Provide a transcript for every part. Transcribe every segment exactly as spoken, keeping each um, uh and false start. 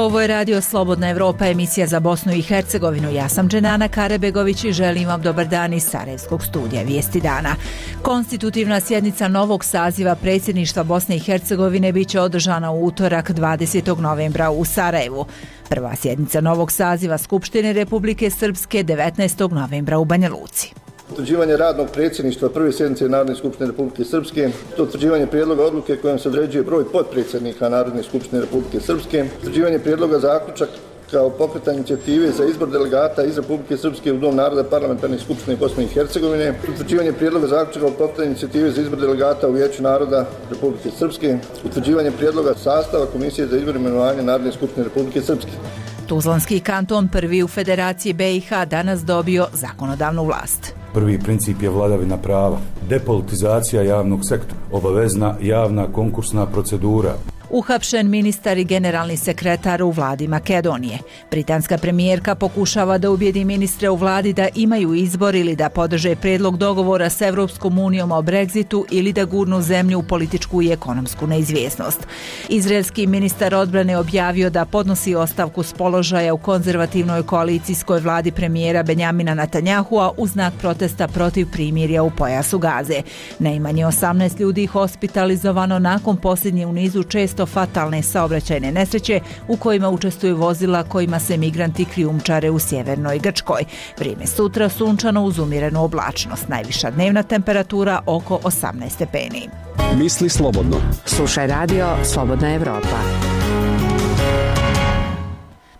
Ovo je Radio Slobodna Evropa, emisija za Bosnu i Hercegovinu. Ja sam Dženana Karebegović i želim vam dobar dan iz Sarajevskog studija Vijesti dana. Konstitutivna sjednica novog saziva predsjedništva Bosne i Hercegovine biće održana u utorak dvadesetog novembra u Sarajevu. Prva sjednica novog saziva Skupštine Republike Srpske devetnaestog novembra u Banja Luci. Utvrđivanje radnog predsjedništva prve sjednice Narodne skupštine Republike Srpske, utvrđivanje prijedloga odluke kojom se određuje broj potpredsjednika Narodne skupštine Republike Srpske, utvrđivanje prijedloga zaključaka kao pokretanje inicijative za izbor delegata iz Republike Srpske u Dom naroda Parlamentarne skupštine Bosne i Hercegovine, utvrđivanje prijedloga zaključaka kao pokretanje inicijative za izbor delegata u Vijeću naroda Republike Srpske, utvrđivanje prijedloga sastava Komisije za izbor i imenovanje Narodne skupštine Republike Srpske. Tuzlanski kanton, prvi u Federaciji B i H, danas dobio zakonodavnu vlast. Prvi princip je vladavina prava, depolitizacija javnog sektora, obavezna javna konkursna procedura. Uhapšen ministar i generalni sekretar u vladi Makedonije. Britanska premijerka pokušava da ubijedi ministre u vladi da imaju izbor ili da podrže prijedlog dogovora s Evropskom unijom o Brexitu ili da gurnu zemlju u političku i ekonomsku neizvjesnost. Izraelski ministar odbrane objavio da podnosi ostavku s položaja u konzervativnoj koalicijskoj vladi premijera Benjamina Netanjahua u znak protesta protiv primirja u pojasu Gaze. Najmanje osamnaest ljudi hospitalizovano nakon posljednje u nizu često fatalne saobraćajne nesreće u kojima učestvuju vozila kojima se migranti krijumčare u sjevernoj Grčkoj. Vrijeme sutra sunčano uz umjerenu oblačnost. Najviša dnevna temperatura oko osamnaest stepeni. Misli slobodno. Slušaj Radio Slobodna Evropa.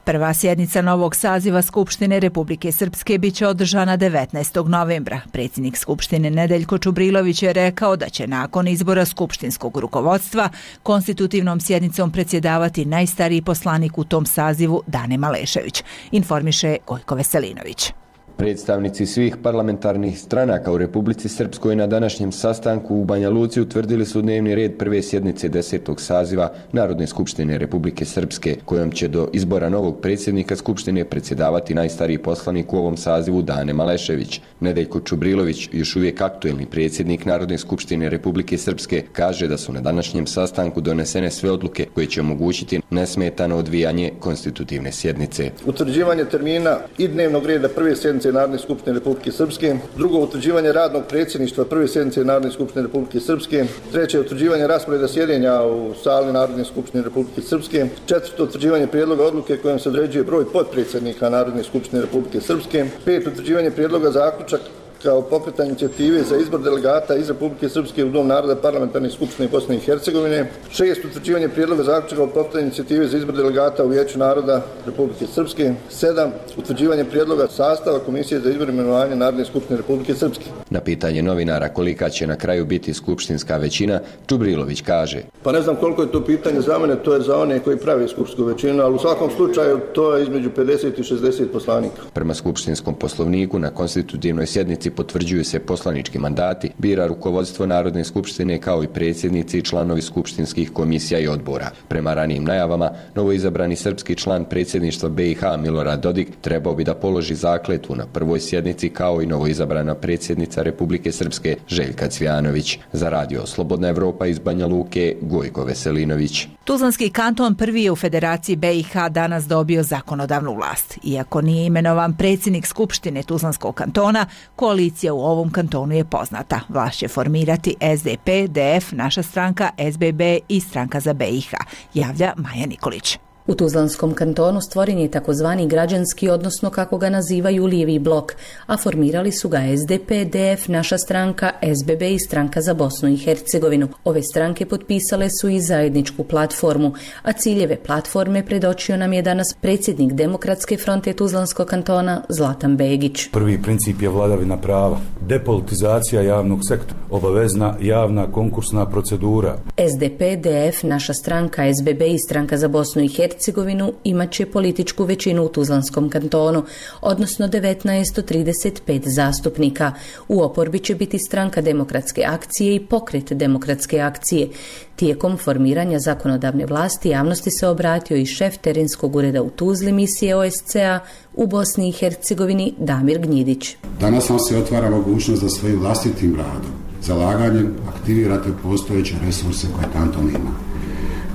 Prva sjednica novog saziva Skupštine Republike Srpske biće održana devetnaestog novembra. Predsjednik Skupštine Nedeljko Čubrilović je rekao da će nakon izbora skupštinskog rukovodstva konstitutivnom sjednicom predsjedavati najstariji poslanik u tom sazivu Dane Malešević, informiše Gojko Veselinović. Predstavnici svih parlamentarnih stranaka u Republici Srpskoj na današnjem sastanku u Banja Luci utvrdili su dnevni red prve sjednice desetog saziva Narodne skupštine Republike Srpske, kojom će do izbora novog predsjednika Skupštine predsjedavati najstariji poslanik u ovom sazivu Dane Malešević. Nedeljko Čubrilović, još uvijek aktuelni predsjednik Narodne skupštine Republike Srpske, kaže da su na današnjem sastanku donesene sve odluke koje će omogućiti nesmetano odvijanje konstitutivne sjednice. Utvrđivanje termina i dnevnog reda prve sjednice Narodne skupštine Republike Srpske, drugo utvrđivanje radnog predsjedništva prve sjednice Narodne skupštine Republike Srpske, treće utvrđivanje rasporeda sjedenja u sali Narodne skupštine Republike Srpske, četvrto utvrđivanje prijedloga odluke kojom se određuje broj potpredsjednika Narodne skupštine Republike Srpske, pet utvrđivanje prijedloga zaključaka kao pokretanje inicijative za izbor delegata iz Republike Srpske u Dom naroda Parlamentarne skupštine Bosne i Hercegovine, šest utvrđivanje prijedloga zaključaka kao pokretanje inicijative za izbor delegata u Vijeću naroda Republike Srpske, sedam utvrđivanje prijedloga sastava Komisije za izbor i imenovanje Narodne skupštine Republike Srpske. Na pitanje novinara kolika će na kraju biti skupštinska većina, Čubrilović kaže: Pa ne znam koliko je to pitanje za mene, to je za one koji prave skupštinsku većinu, ali u svakom slučaju to je između pedeset i šezdeset poslanika. Prema skupštinskom poslovniku na konstitutivnoj sjednici potvrđuju se poslanički mandati, bira rukovodstvo Narodne skupštine kao i predsjednici i članovi skupštinskih komisija i odbora. Prema ranijim najavama, novoizabrani srpski član predsjedništva B i H Milorad Dodik trebao bi da položi zakletvu na prvoj sjednici kao i novoizabrana predsjednica Republike Srpske Željka Cvijanović. Za Radio Slobodna Evropa iz Banja Luke, Gojko Veselinović. Tuzlanski kanton prvi je u Federaciji B i H danas dobio zakonodavnu vlast. Iako nije imenovan predsjednik Skupštine Tuzlanskog kantona, koalicija u ovom kantonu je poznata. Vlast će formirati S D P, D F, Naša stranka, S B B i Stranka za B i H, javlja Maja Nikolić. U Tuzlanskom kantonu stvoren je takozvani građanski, odnosno kako ga nazivaju lijevi blok, a formirali su ga S D P, D F, Naša stranka, S B B i Stranka za Bosnu i Hercegovinu. Ove stranke potpisale su i zajedničku platformu, a ciljeve platforme predočio nam je danas predsjednik Demokratske fronte Tuzlanskog kantona Zlatan Begić. Prvi princip je vladavina prava, depolitizacija javnog sektora, obavezna javna konkursna procedura. S D P, D F, Naša stranka, S B B i Stranka za Bosnu i Hercegovinu Hercegovinu imat će političku većinu u Tuzlanskom kantonu, odnosno devetnaest od trideset pet zastupnika. U oporbi će biti Stranka demokratske akcije i Pokret demokratske akcije. Tijekom formiranja zakonodavne vlasti javnosti se obratio i šef terenskog ureda u Tuzli misije O S C A u Bosni i Hercegovini Damir Gnjidić. Danas nam se otvara mogućnost da svojim vlastitim radom, zalaganjem aktivirate postojeće resurse koje kanton ima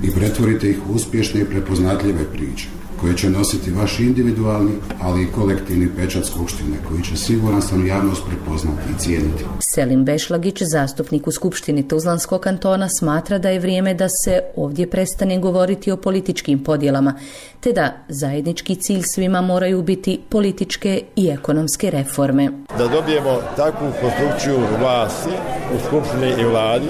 i pretvorite ih u uspješne i prepoznatljive priče. koje će nositi vaš individualni, ali i kolektivni pečat Skupštine, koji će siguran sam javnost prepoznati i cijeniti. Selim Bešlagić, zastupnik u Skupštini Tuzlanskog kantona, smatra da je vrijeme da se ovdje prestane govoriti o političkim podjelama, te da zajednički cilj svima moraju biti političke i ekonomske reforme. Da dobijemo takvu konstrukciju vlasti u Skupštini i vladi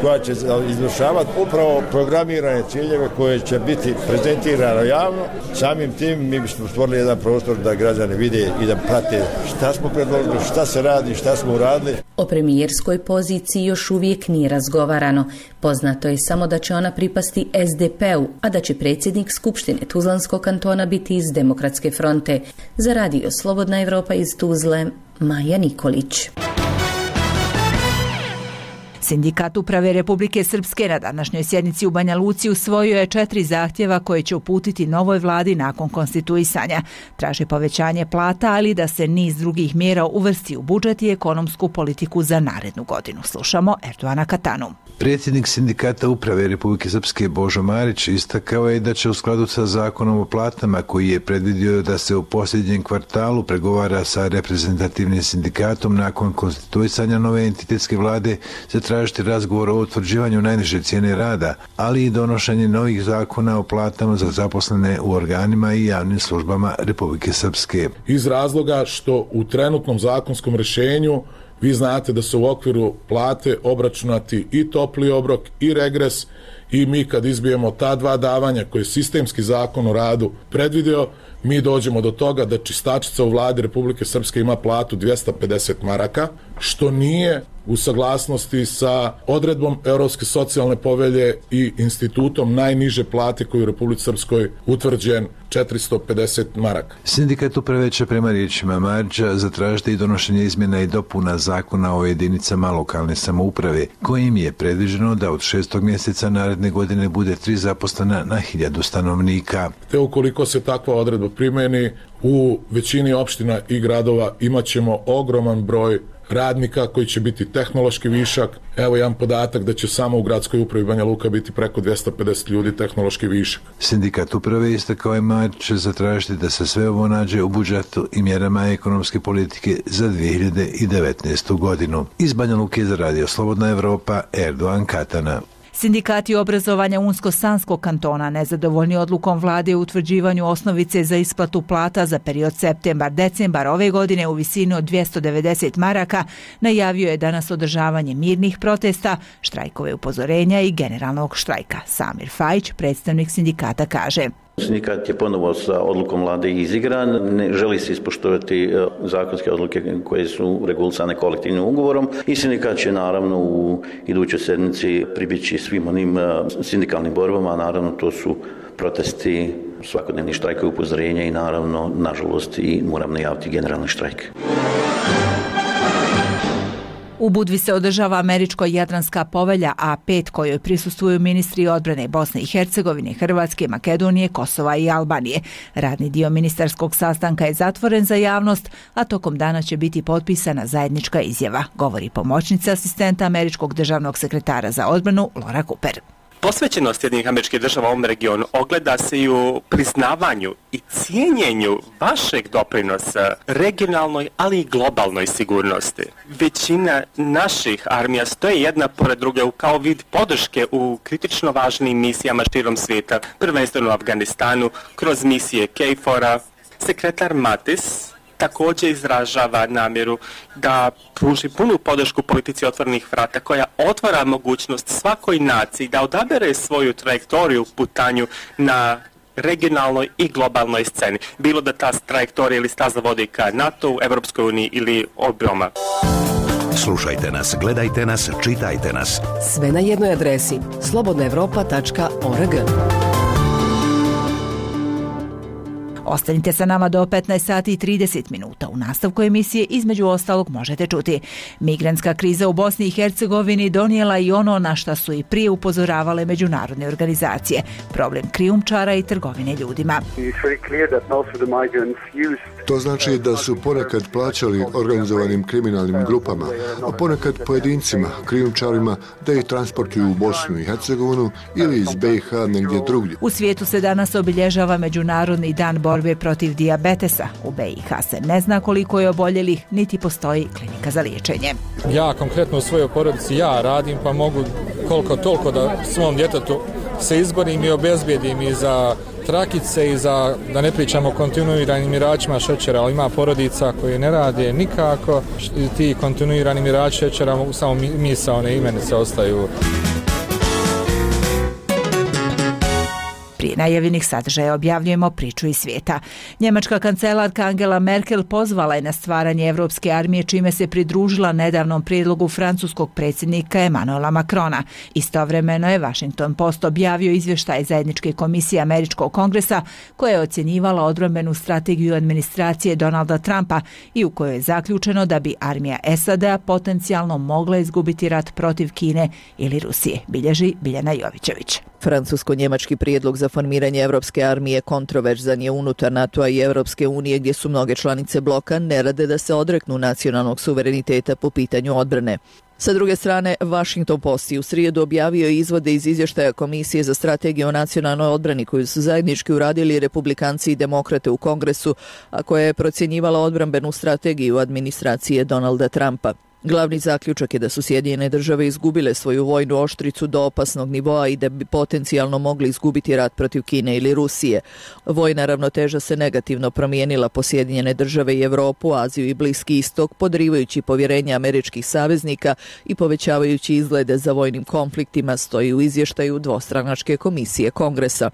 koja će izvršavati upravo programirane ciljeve koje će biti prezentirane javno. Samim tim mi bismo stvorili jedan prostor da građani vide i da prate šta smo predložili, šta se radi, šta smo uradili. O premijerskoj poziciji još uvijek nije razgovarano. Poznato je samo da će ona pripasti es de pe-u, a da će predsjednik Skupštine Tuzlanskog kantona biti iz Demokratske fronte. Za radio Slobodna Evropa iz Tuzle, Maja Nikolić. Sindikat uprave Republike Srpske na današnjoj sjednici u Banja Luci usvojio je četiri zahtjeva koje će uputiti novoj vladi nakon konstituisanja. Traži povećanje plata, ali da se niz drugih mjera uvrsti u budžet i ekonomsku politiku za narednu godinu. Slušamo Erdoana Katanu. Predsjednik Sindikata uprave Republike Srpske Božo Marić istakao je da će u skladu sa zakonom o platama, koji je predvidio da se u posljednjem kvartalu pregovara sa reprezentativnim sindikatom nakon konstituisanja nove entitetske vlade, se tražiti razgovor o utvrđivanju najniže cijene rada, ali i donošenje novih zakona o platama za zaposlene u organima i javnim službama Republike Srpske. Iz razloga što u trenutnom zakonskom rješenju vi znate da su u okviru plate obračunati i topli obrok i regres, i mi kad izbijemo ta dva davanja koje je sistemski zakon o radu predvidio, mi dođemo do toga da čistačica u vladi Republike Srpske ima platu dvjesto pedeset maraka, što nije u saglasnosti sa odredbom Europske socijalne povelje i institutom najniže plate koji u Republici Srpskoj utvrđen četiristo pedeset maraka. Sindikat uprave će prema riječima Marića zatražiti i donošenje izmjena i dopuna zakona o jedinicama lokalne samouprave, kojim je predviđeno da od šestog mjeseca naredne godine bude tri zaposlena na hiljadu stanovnika. Te ukoliko se takva odredba primjeni, u većini opština i gradova imat ćemo ogroman broj radnika koji će biti tehnološki višak. Evo jedan podatak da će samo u gradskoj upravi Banja Luka biti preko dvjesto pedeset ljudi tehnološki višak. Sindikat uprave istakao je Marić će zatražiti da se sve ovo nađe u budžetu i mjerama ekonomske politike za dvije hiljade devetnaestu godinu. Iz Banja Luke za radio Slobodna Evropa, Erdoan Katana. Sindikati obrazovanja Unsko-Sanskog kantona nezadovoljni odlukom vlade u utvrđivanju osnovice za isplatu plata za period septembar-decembar ove godine u visini od dvjesto devedeset maraka najavio je danas održavanje mirnih protesta, štrajkove upozorenja i generalnog štrajka. Samir Fajić, predstavnik sindikata, kaže: Sindikat je ponovo sa odlukom vlade izigran, ne želi se ispoštovati zakonske odluke koje su regulisane kolektivnim ugovorom i sindikat će naravno u idućoj sedmici pribjeći svim onim sindikalnim borbama, a naravno to su protesti, svakodnevni štrajkovi upozorenja i naravno, nažalost, i moram najaviti generalni štrajk. U Budvi se održava američko-jadranska povelja A pet kojoj prisustvuju ministri odbrane Bosne i Hercegovine, Hrvatske, Makedonije, Kosova i Albanije. Radni dio ministarskog sastanka je zatvoren za javnost, a tokom dana će biti potpisana zajednička izjava, govori pomoćnica asistenta američkog državnog sekretara za odbranu Laura Cooper. Posvećenost Sjedinjenih Američkih Država u ovom regionu ogleda se i u priznavanju i cijenjenju vašeg doprinosa regionalnoj, ali i globalnoj sigurnosti. Većina naših armija stoje jedna pored druge kao vid podrške u kritično važnim misijama širom svijeta, prvenstveno u Afganistanu, kroz misije K F O R-a. Sekretar Mattis također izražava namjeru da pruži punu podršku politici otvorenih vrata koja otvara mogućnost svakoj naciji da odabere svoju trajektoriju putanju na regionalnoj i globalnoj sceni. Bilo da ta trajektorija ili staza vodi ka NATO, Evropskoj uniji ili oboma. Slušajte nas, gledajte nas, čitajte nas. Sve na jednoj adresi slobodna evropa tačka org. Ostanite sa nama do petnaest sati i trideset minuta. U nastavku emisije između ostalog možete čuti: migrantska kriza u Bosni i Hercegovini donijela i ono na šta su i prije upozoravale međunarodne organizacije, problem krijumčara i trgovine ljudima. It's very clear that most of the migrants used To znači da su ponekad plaćali organizovanim kriminalnim grupama, a ponekad pojedincima, krijumčarima, da ih transportuju u Bosnu i Hercegovinu ili iz B i H negdje drugdje. U svijetu se danas obilježava Međunarodni dan borbe protiv dijabetesa. U B i H se ne zna koliko je oboljelih, niti postoji klinika za liječenje. Ja konkretno u svojoj porodici ja radim, pa mogu koliko toliko da svom djetetu se izborim i obezbijedim i za trakice i za, da ne pričamo o kontinuiranim miračima šećera, ali ima porodica koje ne rade nikako. Ti kontinuirani mirači šećera samo misaone imenice ostaju. Prije najavljenih sadržaja objavljujemo priču iz svijeta. Njemačka kancelarka Angela Merkel pozvala je na stvaranje Evropske armije, čime se pridružila nedavnom prijedlogu francuskog predsjednika Emmanuela Macrona. Istovremeno je Washington Post objavio izvještaj zajedničke komisije Američkog kongresa koja je ocjenjivala odbrambenu strategiju administracije Donalda Trumpa i u kojoj je zaključeno da bi armija S A D-a potencijalno mogla izgubiti rat protiv Kine ili Rusije, bilježi Biljana Jovićević. Francusko-njemački prijedlog za formiranje Evropske armije kontroverzan je unutar NATO-a i Evropske unije, gdje su mnoge članice bloka ne rade da se odreknu nacionalnog suvereniteta po pitanju odbrane. Sa druge strane, Washington Post u srijedu objavio izvode iz izvještaja Komisije za strategiju o nacionalnoj odbrani koju su zajednički uradili republikanci i demokrate u Kongresu, a koja je procjenjivala odbrambenu strategiju administracije Donalda Trumpa. Glavni zaključak je da su Sjedinjene države izgubile svoju vojnu oštricu do opasnog nivoa i da bi potencijalno mogli izgubiti rat protiv Kine ili Rusije. Vojna ravnoteža se negativno promijenila po Sjedinjene države i Evropu, Aziju i Bliski istok, podrivajući povjerenje američkih saveznika i povećavajući izglede za vojnim konfliktima, stoji u izvještaju dvostranačke komisije Kongresa.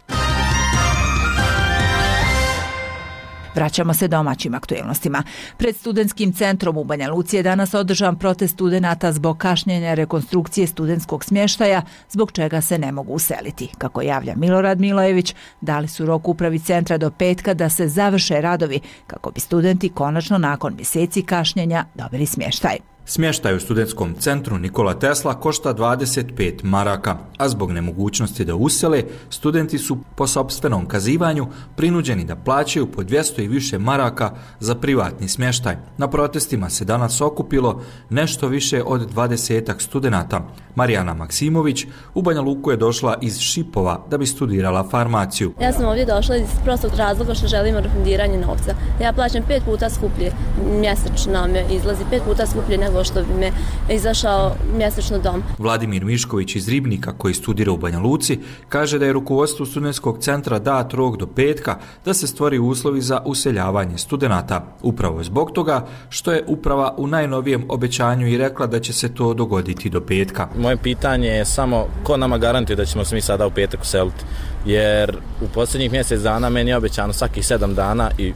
Vraćamo se domaćim aktuelnostima. Pred studentskim centrom u Banja Luci je danas održan protest studenata zbog kašnjenja rekonstrukcije studentskog smještaja, zbog čega se ne mogu useliti. Kako javlja Milorad Milojević, dali su rok upravi centra do petka da se završe radovi kako bi studenti konačno nakon mjeseci kašnjenja dobili smještaj. Smještaj u studentskom centru Nikola Tesla košta dvadeset pet maraka, a zbog nemogućnosti da usele, studenti su po sopstvenom kazivanju prinuđeni da plaćaju po dvjesto i više maraka za privatni smještaj. Na protestima se danas okupilo nešto više od dvadesetak studenata. Marijana Maksimović u Banja Luku je došla iz Šipova da bi studirala farmaciju. Ja sam ovdje došla iz prostog razloga što želimo refundiranje novca. Ja plaćam pet puta skuplje, mjesečno me izlazi pet puta skuplje nego što bi me izašao mjesečno dom. Vladimir Mišković iz Ribnika, koji studira u Banja Luci, kaže da je rukovodstvu studentskog centra dat rok do petka da se stvori uslovi za useljavanje studenata. Upravo zbog toga što je uprava u najnovijem obećanju i rekla da će se to dogoditi do petka. Moje pitanje je samo ko nama garantuje da ćemo se mi sada u petak useliti, jer u posljednjih mjesec dana meni je obećano svakih sedam dana i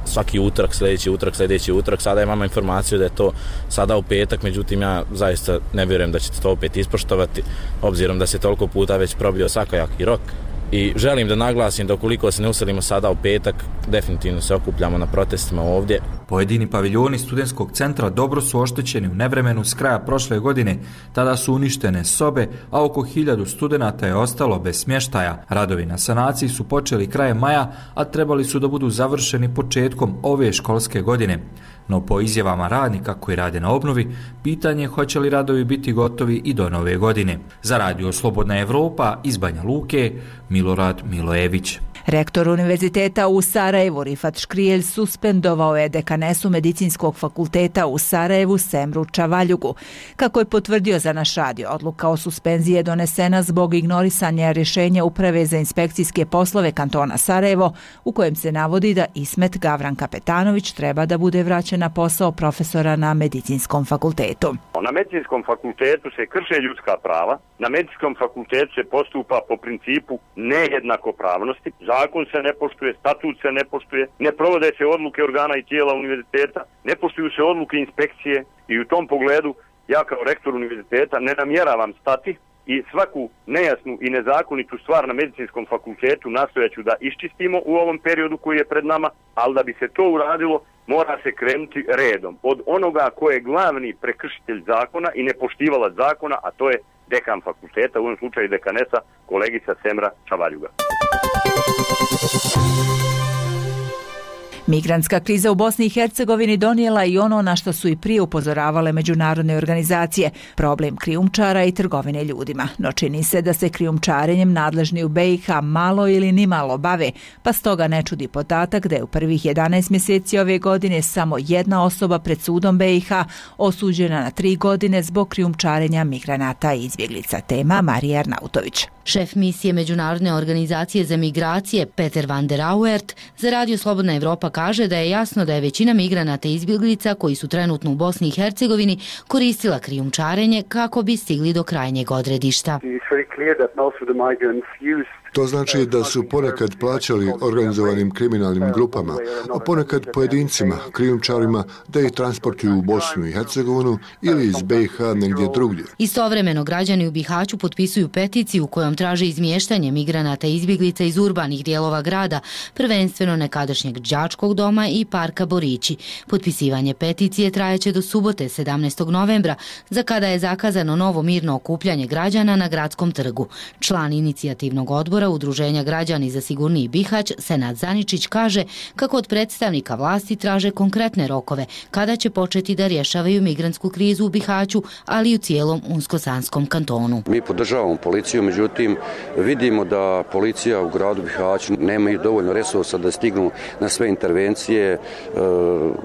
svaki utorak, sljedeći utorak, sljedeći utorak. Sada imamo informaciju da je to sada u petak, međutim ja zaista ne vjerujem da ćete to opet ispoštovati, obzirom da se toliko puta već probio svakojaki rok. I želim da naglasim da ukoliko se ne uselimo sada u petak, definitivno se okupljamo na protestima ovdje. Pojedini paviljoni studentskog centra dobro su oštećeni u nevremenu s kraja prošle godine. Tada su uništene sobe, a oko hiljadu studenata je ostalo bez smještaja. Radovi na sanaciji su počeli krajem maja, a trebali su da budu završeni početkom ove školske godine. No po izjavama radnika koji rade na obnovi, pitanje je hoće li radovi biti gotovi i do nove godine. Za radio Slobodna Evropa iz Banja Luke, Milorad Milojević. Rektor Univerziteta u Sarajevu Rifat Škrijelj suspendovao je dekanesu Medicinskog fakulteta u Sarajevu Semru Čavaljugu. Kako je potvrdio za naš radio, odluka o suspenziji je donesena zbog ignorisanja rješenja Uprave za inspekcijske poslove kantona Sarajevo, u kojem se navodi da Ismet Gavran Kapetanović treba da bude vraćen na posao profesora na Medicinskom fakultetu. Na Medicinskom fakultetu se krše ljudska prava, na Medicinskom fakultetu se postupa po principu nejednakopravnosti, zakon se ne poštuje, statut se ne poštuje, ne provode se odluke organa i tijela univerziteta, ne poštuju se odluke inspekcije i u tom pogledu ja kao rektor univerziteta ne namjeravam stati i svaku nejasnu i nezakonitu stvar na Medicinskom fakultetu nastojaću da iščistimo u ovom periodu koji je pred nama, ali da bi se to uradilo mora se krenuti redom od onoga ko je glavni prekršitelj zakona i nepoštivala zakona, a to je dekan fakulteta, u ovom slučaju dekanesa, kolegica Semra Čavaljuga. Migrantska kriza u Bosni i Hercegovini donijela i ono na što su i prije upozoravale međunarodne organizacije, problem krijumčara i trgovine ljudima. No čini se da se krijumčarenjem nadležni u B i H malo ili nimalo bave, pa stoga ne čudi podatak da je u prvih jedanaest mjeseci ove godine samo jedna osoba pred sudom B i H osuđena na tri godine zbog krijumčarenja migranata i izbjeglica. Tema Marija Arnautović. Šef misije Međunarodne organizacije za migracije Peter van der Auwert za Radio Slobodna Evropa kaže da je jasno da je većina migranata i izbjeglica koji su trenutno u Bosni i Hercegovini koristila krijumčarenje kako bi stigli do krajnjeg odredišta. To znači da su ponekad plaćali organizovanim kriminalnim grupama, a ponekad pojedincima, krijumčarima, da ih transportuju u Bosnu i Hercegovinu ili iz B i H negdje drugdje. Istovremeno građani u Bihaću potpisuju peticiju kojom traže izmještanje migranata i izbjeglica iz urbanih dijelova grada, prvenstveno nekadašnjeg đačkog doma i parka Borići. Potpisivanje peticije trajeće do subote sedamnaestog novembra, za kada je zakazano novo mirno okupljanje građana na gradskom trgu. Član inicijativnog odbora Udruženja građani za sigurniji Bihać, Senad Zaničić, kaže kako od predstavnika vlasti traže konkretne rokove kada će početi da rješavaju migrantsku krizu u Bihaću, ali i u cijelom Unsko-Sanskom kantonu. Mi podržavamo policiju, međutim vidimo da policija u gradu Bihaću nema i dovoljno resursa da stignu na sve intervencije,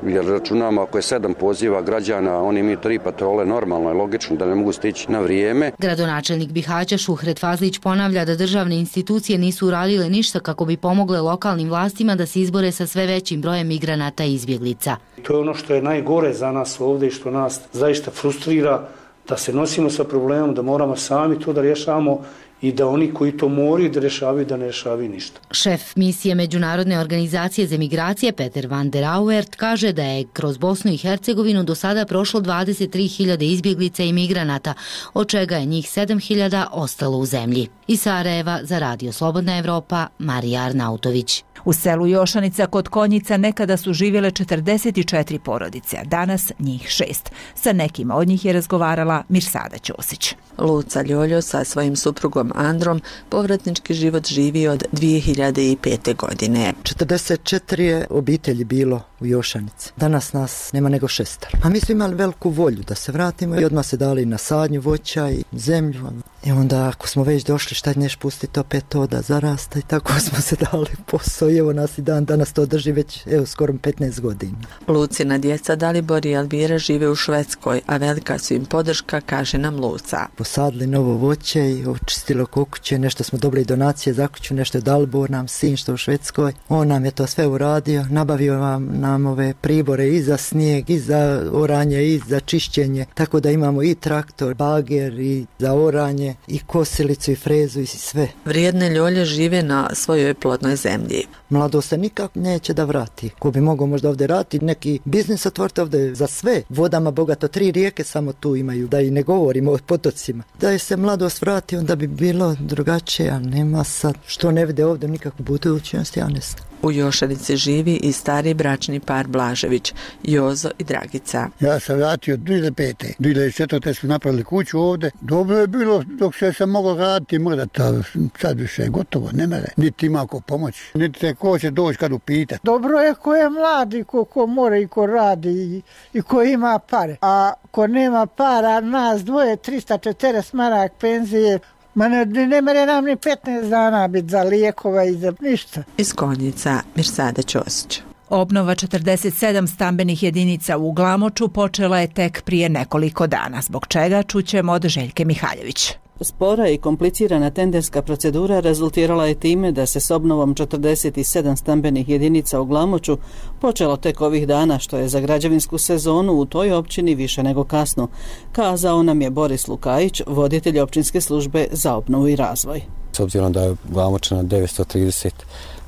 jer računamo ako je sedam poziva građana, oni imaju tri patrole, normalno je logično da ne mogu stići na vrijeme. Gradonačelnik Bihaća Šuhret Fazlić ponavlja da državne institucije nisu uradile ništa kako bi pomogle lokalnim vlastima da se izbore sa sve većim brojem migranata i izbjeglica. To je ono što je najgore za nas ovdje i što nas zaista frustrira, da se nosimo sa problemom, da moramo sami to da rješavamo i da oni koji to moraju da rješavaju, da ne rješavaju ništa. Šef misije Međunarodne organizacije za migracije Peter van der Auwert kaže da je kroz Bosnu i Hercegovinu do sada prošlo dvadeset tri hiljade izbjeglica i migranata, od čega je njih sedam hiljada ostalo u zemlji. Iz Sarajeva za Radio Slobodna Evropa, Marija Arnautović. U selu Jošanica kod Konjica nekada su živjele četrdeset četiri porodice, a danas njih šest. Sa nekima od njih je razgovarala Mirsada Ćosić. Luca Ljoljo sa svojim suprugom Androm povratnički život živi od dvije hiljade pete. godine. četrdeset četiri je obitelji bilo u Jošanici. Danas nas nema nego šestar. A mi smo imali veliku volju da se vratimo i odmah se dali na sadnju voća i zemlju. I onda ako smo već došli, šta neš pustiti opet to da zarasta, i tako smo se dali posao i evo nas i dan danas to drži već evo skoro petnaest godina. Lucina djeca Dalibor i Elvira žive u Švedskoj, a velika su im podrška, kaže nam Luca. Posadili novo voće i očistilo kuće, nešto smo dobili donacije za kuću, nešto je Dalibor nam sin što u Švedskoj. On nam je to sve uradio, nabavio nam, nam ove pribore i za snijeg, i za oranje, i za čišćenje, tako da imamo i traktor, bager, i za oranje, i kosilicu i frezu i sve. Vrijedne Ljolje žive na svojoj plodnoj zemlji. Mlado se nikak neće da vrati. Ko bi mogao možda ovdje raditi, neki biznis otvoriti ovdje za sve. Vodama bogato, tri rijeke samo tu imaju, da i ne govorimo o potocima. Da je se mladost vrati, onda bi bilo drugačije, a nema sad. Što ne vide ovdje nikakvu budućnost, ja ne znam. U Jošanici živi i stari bračni par Blažević, Jozo i Dragica. Ja sam vratio dvije hiljade pete. dvije hiljade četvrte smo napravili kuću ovdje. Dobro je bilo dok se sam mogao raditi, možda ta, sad više je gotovo, ne mere. Niti ima ko pomoći, niti te ko će doći kad upita. Dobro je ko je mladi, ko, ko mora i ko radi i, i ko ima pare. A ko nema para, nas dvoje, trista četrdeset marak penzije, ma ne, ne mere nam ni petnaest dana biti za lijekova i za ništa. Iz Konjica, Mirsada Ćosić. Obnova četrdeset sedam stambenih jedinica u Glamoču počela je tek prije nekoliko dana, zbog čega čućemo od Željke Mihaljević. Spora i komplicirana tenderska procedura rezultirala je time da se s obnovom četrdeset sedam stambenih jedinica u Glamoču počelo tek ovih dana, što je za građevinsku sezonu u toj općini više nego kasno, kazao nam je Boris Lukajić, voditelj općinske službe za obnovu i razvoj. S obzirom da je Glamoč na devetsto trideset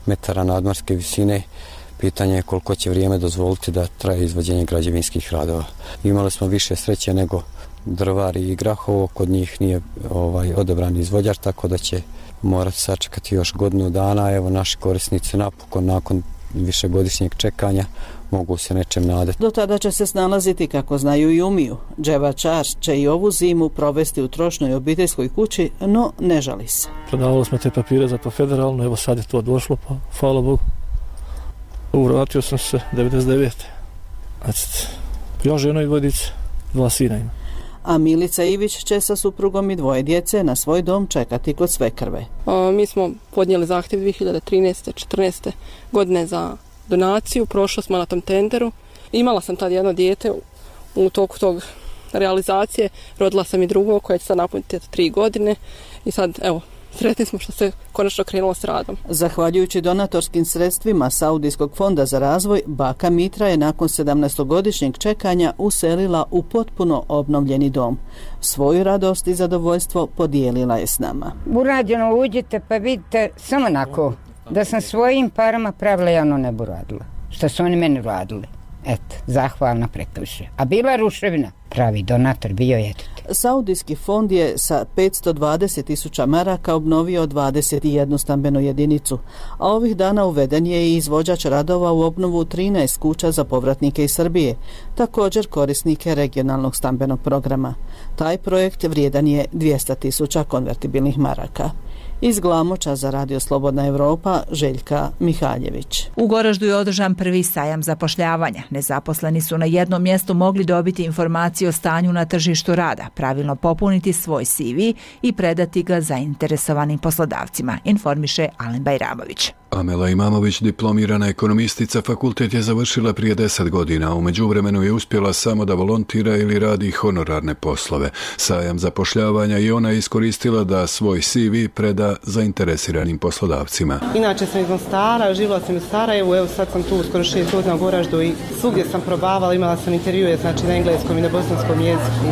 metara nadmorske visine, pitanje je koliko će vrijeme dozvoliti da traje izvođenje građevinskih radova. Imali smo više sreće nego Drvari i Grahovo, kod njih nije ovaj, odabran izvođač, tako da će morati sačekati još godinu dana. Evo, naši korisnici napokon nakon višegodišnjeg čekanja mogu se nečem nadati. Do tada će se snalaziti kako znaju i umiju. Dževa Čar će i ovu zimu provesti u trošnoj obiteljskoj kući, no ne žali se. Prodavali smo te papire za to federalno, evo sad je to došlo, pa hvala Bogu. Vratio sam se devedeset devete. Znači, ja žena i dvoje djece, dva sina ima. A Milica Ivić će sa suprugom i dvoje djece na svoj dom čekati kod svekrve. A, mi smo podnijeli zahtjev dvije hiljade trinaeste četrnaeste godine za donaciju, prošla smo na tom tenderu. Imala sam tad jedno dijete u toku tog realizacije, rodila sam i drugo koje će sad napuniti tri godine i sad evo, sretni smo što se konačno krenulo s radom. Zahvaljujući donatorskim sredstvima Saudijskog fonda za razvoj, baka Mitra je nakon sedamnaestogodišnjeg čekanja uselila u potpuno obnovljeni dom. Svoju radost i zadovoljstvo podijelila je s nama. Urađeno, uđite pa vidite samo onako da sam svojim parama pravila, ja ono ne bi radila. Što su oni meni radili. Eto, zahvalna prekrše. A bila ruševina, pravi donator bio je. Saudijski fond je sa petsto dvadeset tisuća maraka obnovio dvadeset jednu stambenu jedinicu, a ovih dana uveden je i izvođač radova u obnovu trinaest kuća za povratnike iz Srbije, također korisnike regionalnog stambenog programa. Taj projekt vrijedan je dvjesto tisuća konvertibilnih maraka. Iz Glamoča za Radio Slobodna Evropa, Željka Mihaljević. U Goraždu je održan prvi sajam zapošljavanja. Nezaposleni su na jednom mjestu mogli dobiti informacije o stanju na tržištu rada, pravilno popuniti svoj C V i predati ga zainteresovanim poslodavcima, informiše Alen Bajramović. Amela Imamović, diplomirana ekonomistica, fakultet je završila prije deset godina. U međuvremenu je uspjela samo da volontira ili radi honorarne poslove. Sajam zapošljavanja i ona je iskoristila da svoj C V preda zainteresiranim poslodavcima. Inače sam iz Mostara, živjela sam u Sarajevu, evo sad sam tu skoro šest godina u Goraždu i svugdje sam probavala, imala sam intervjue, znači na engleskom i na bosanskom jeziku.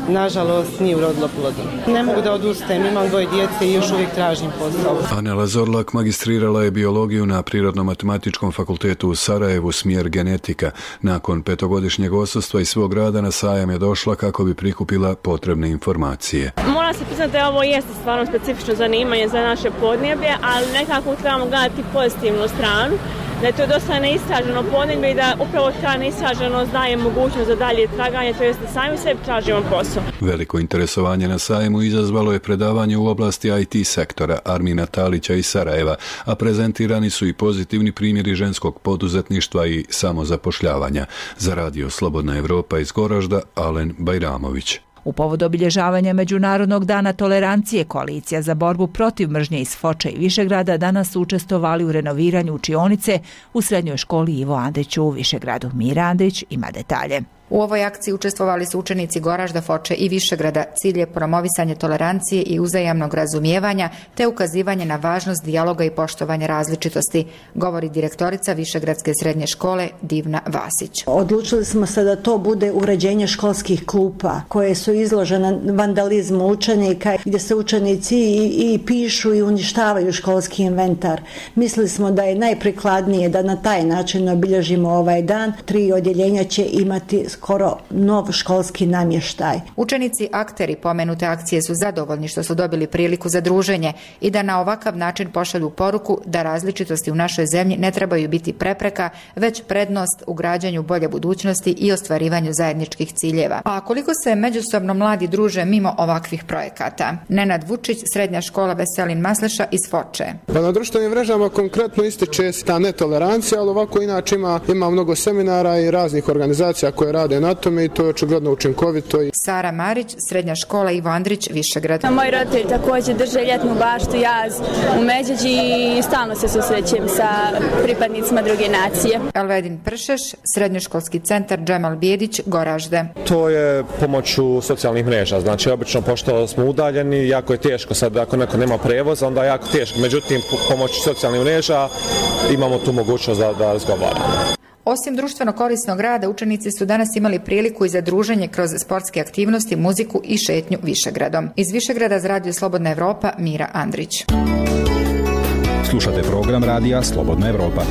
Nažalost, nije urodilo plodom. Ne mogu da odustajem, imam dvoje djece i još uvijek tražim posao. Anela Zorlak magistrirala je biologiju na Prirodno-matematičkom fakultetu u Sarajevu, smjer genetika. Nakon petogodišnjeg odsustva i svog rada na sajam je došla kako bi prikupila potrebne informacije. Moram se priznati da ovo jeste stvarno specifično zanimanje za naše podneblje, ali nekako trebamo gledati pozitivnu stranu, da je to dosta neistraženo podneblje i da upravo ta neistraženost daje mogućnost za dalje traganje, to jest da sami sebi tražimo posao. Veliko interesovanje na sajmu izazvalo je predavanje u oblasti I T sektora Armina Talića iz Sarajeva, a prezentirani su i pozitivni primjeri ženskog poduzetništva i samozapošljavanja. Za Radio Slobodna Evropa iz Goražda, Alen Bajramović. U povodu obilježavanja Međunarodnog dana tolerancije, Koalicija za borbu protiv mržnje iz Foče i Višegrada danas su učestvovali u renoviranju učionice u srednjoj školi Ivo Andrić u Višegradu. Mira Andrić ima detalje. U ovoj akciji učestvovali su učenici Goražda, Foče i Višegrada. Cilj je promovisanje tolerancije i uzajamnog razumijevanja te ukazivanje na važnost dijaloga i poštovanja različitosti, govori direktorica Višegradske srednje škole Divna Vasić. Odlučili smo se da to bude uređenje školskih klupa koje su izložene vandalizmu učenika, gdje se učenici i, i pišu i uništavaju školski inventar. Mislili smo da je najprikladnije da na taj način obilježimo ovaj dan. Tri odjeljenja će imati skoro nov školski namještaj. Učenici akteri pomenute akcije su zadovoljni što su dobili priliku za druženje i da na ovakav način pošalju poruku da različitosti u našoj zemlji ne trebaju biti prepreka, već prednost u građanju bolje budućnosti i ostvarivanju zajedničkih ciljeva. A koliko se međusobno mladi druže mimo ovakvih projekata? Nenad Vučić, srednja škola Veselin Masleša iz Foče. Pa na društvenim mrežama konkretno ističe ta netolerancija, ali ovako inače ima, ima mnogo seminara i raznih organizacija koje rade na tome i to je očigledno učinkovito. Sara Marić, srednja škola Ivo Andrić, Višegrad. Moji roditelji također drže ljetnu baštu Jaz u Međeđi i stalno se susrećem sa pripadnicima druge nacije. Elvedin Pršeš, srednjoškolski centar Džemal Bijedić, Goražde. To je pomoću socijalnih mreža, znači obično pošto smo udaljeni, jako je teško sad ako neko nema prevoza, onda je jako teško. Međutim, pomoću socijalnih mreža imamo tu mogućnost da, da razgovaramo. Osim društveno korisnog rada, učenici su danas imali priliku i za druženje kroz sportske aktivnosti, muziku i šetnju Višegradom. Iz Višegrada za Radio Slobodna Evropa, Mira Andrić. Slušate program Radija Slobodna Evropa.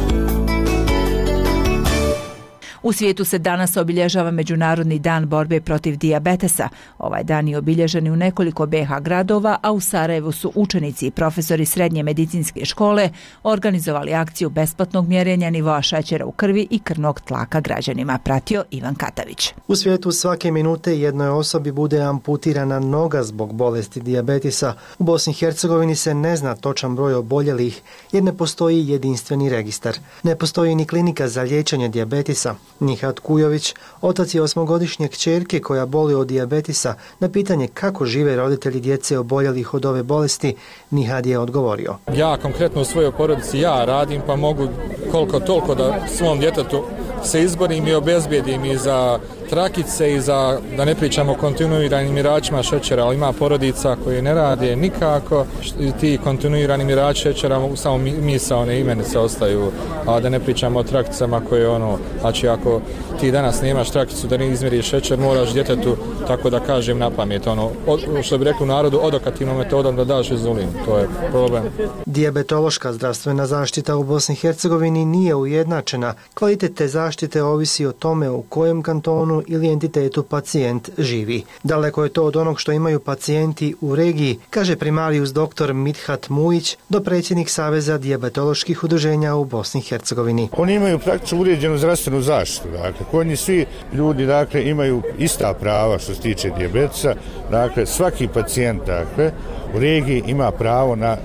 U svijetu se danas obilježava Međunarodni dan borbe protiv dijabetesa. Ovaj dan je obilježen u nekoliko B iH gradova, a u Sarajevu su učenici i profesori srednje medicinske škole organizovali akciju besplatnog mjerenja nivoa šećera u krvi i krvnog tlaka građanima, pratio Ivan Katavić. U svijetu svake minute jednoj osobi bude amputirana noga zbog bolesti dijabetisa. U Bosni i Hercegovini se ne zna točan broj oboljelih jer ne postoji jedinstveni registar. Ne postoji ni klinika za liječenje dijabetisa. Nihat Kujović, otac je osmogodišnje kćerke koja boli od dijabetisa, na pitanje kako žive roditelji djece oboljelih od ove bolesti, Nihad je odgovorio. Ja konkretno u svojoj porodici ja radim pa mogu koliko toliko da svom djetetu se izborim i obezbijedim i za trakice i za, da ne pričamo o kontinuiranim miračima šećera, ali ima porodica koji ne rade nikako i ti kontinuirani mirači šećera samo misaone imenice ostaju, a da ne pričamo o trakicama koje ono, znači ako ti danas nemaš trakicu da ne izmjeriš šećer, moraš djetetu, tako da kažem na pamet, ono, od, što bi rekli u narodu, odokativnom metodom da daš inzulin, to je problem. Dijabetološka zdravstvena zaštita u Bosni i Hercegovini nije ujednačena. Kvalitet te zaštite ovisi o tome u kojem kantonu ili entitetu pacijent živi. Daleko je to od onog što imaju pacijenti u regiji, kaže primarijus doktor Mithat Mujić, dopredsjednik Saveza dijabetoloških udruženja u Bosni i Hercegovini. Oni imaju praktično uređenu zdravstvenu zaštitu. Dakle, kod njih svi ljudi dakle, imaju ista prava što se tiče dijabetesa. Dakle, svaki pacijent dakle, u regiji ima pravo na,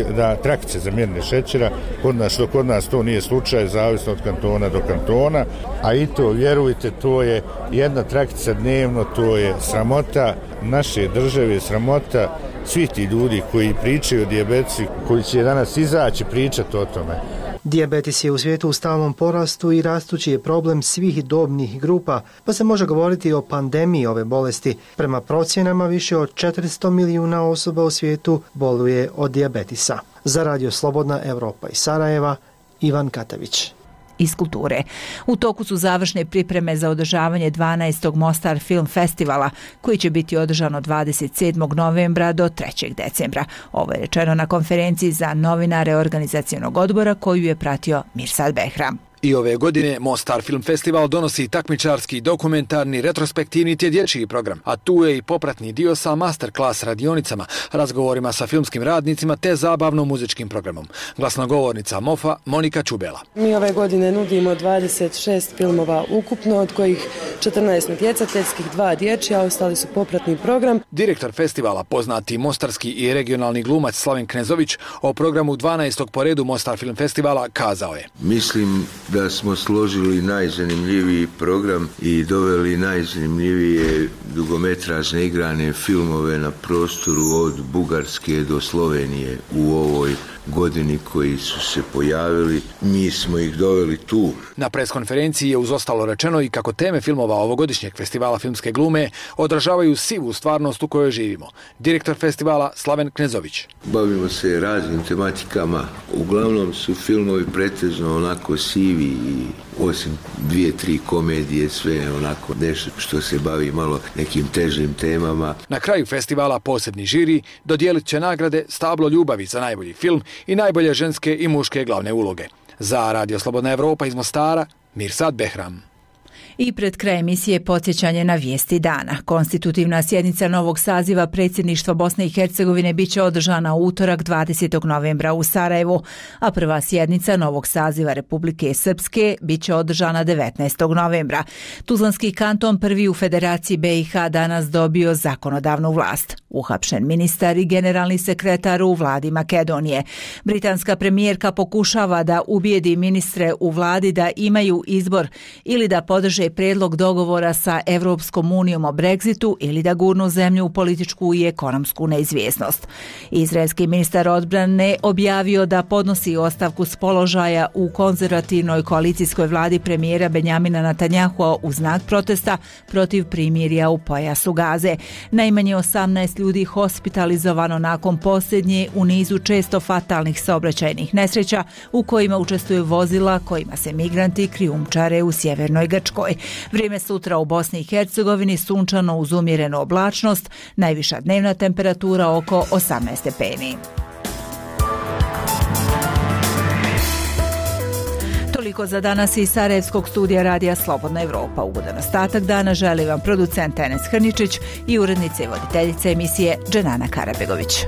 na trakice za mjerenje šećera, kod nas, što kod nas to nije slučaj, zavisno od kantona do kantona, a i to, vjerujte, to je jedna trakica dnevno, to je sramota naše države, sramota svih ti ljudi koji pričaju o dijabetesu, koji će danas izaći pričati o tome. Dijabetes je u svijetu u stalnom porastu i rastući je problem svih dobnih grupa, pa se može govoriti o pandemiji ove bolesti. Prema procjenama više od četiristo milijuna osoba u svijetu boluje od dijabetisa. Za Radio Slobodna Evropa iz Sarajeva, Ivan Katavić. Iz kulture. U toku su završne pripreme za održavanje dvanaestog Mostar Film Festivala, koji će biti održan od dvadeset sedmog novembra do trećeg decembra. Ovo je rečeno na konferenciji za novinare organizacionog odbora koju je pratio Mirsad Behram. I ove godine Mostar Film Festival donosi takmičarski, dokumentarni, retrospektivni te dječji program, a tu je i popratni dio sa masterclass radionicama, razgovorima sa filmskim radnicima te zabavno-muzičkim programom. Glasnogovornica MOFA Monika Čubela. Mi ove godine nudimo dvadeset šest filmova ukupno, od kojih četrnaest natjecateljskih, dva dječja, a ostali su popratni program. Direktor festivala, poznati mostarski i regionalni glumac Slaven Knezović, o programu dvanaestog po redu Mostar Film Festivala kazao je: Mislim da smo složili najzanimljiviji program i doveli najzanimljivije dugometražne igrane filmove na prostoru od Bugarske do Slovenije u ovoj godini koji su se pojavili. Mi smo ih doveli tu. Na preskonferenciji je uz ostalo rečeno i kako teme filmova ovogodišnjeg festivala filmske glume odražavaju sivu stvarnost u kojoj živimo. Direktor festivala Slaven Knezović. Bavimo se raznim tematikama. Uglavnom su filmovi pretežno onako sivi i osim dvije, tri komedije, sve onako nešto što se bavi malo nekim težim temama. Na kraju festivala posebni žiri dodijelit će nagrade Stablo ljubavi za najbolji film i najbolje ženske i muške glavne uloge. Za Radio Slobodna Evropa iz Mostara, Mirsad Behram. I pred kraj emisije podsjećanje na vijesti dana. Konstitutivna sjednica novog saziva predsjedništva Bosne i Hercegovine biće održana u utorak dvadesetog novembra u Sarajevu, a prva sjednica novog saziva Republike Srpske biće održana devetnaestog novembra. Tuzlanski kanton, prvi u Federaciji B iH, danas dobio zakonodavnu vlast. Uhapšen ministar i generalni sekretar u vladi Makedonije. Britanska premijerka pokušava da ubijedi ministre u vladi da imaju izbor ili da podrže predlog dogovora sa Evropskom unijom o Brexitu ili da gurnu zemlju u političku i ekonomsku neizvjesnost. Izraelski ministar odbrane objavio da podnosi ostavku s položaja u konzervativnoj koalicijskoj vladi premijera Benjamina Netanjahua u znak protesta protiv primirja u pojasu Gaze. Najmanje osamnaest ljudi hospitalizovano nakon posljednje u nizu često fatalnih saobraćajnih nesreća u kojima učestvuju vozila kojima se migranti krijumčare u sjevernoj Grčkoj. Vrijeme sutra u Bosni i Hercegovini sunčano uz umjerenu oblačnost, najviša dnevna temperatura oko osamnaest stepeni. Toliko za danas iz Sarajevskog studija radija Slobodna Evropa. Ugodan ostatak dana želi vam producent Enes Hrničić i urednica i voditeljica emisije Dženana Karabegović.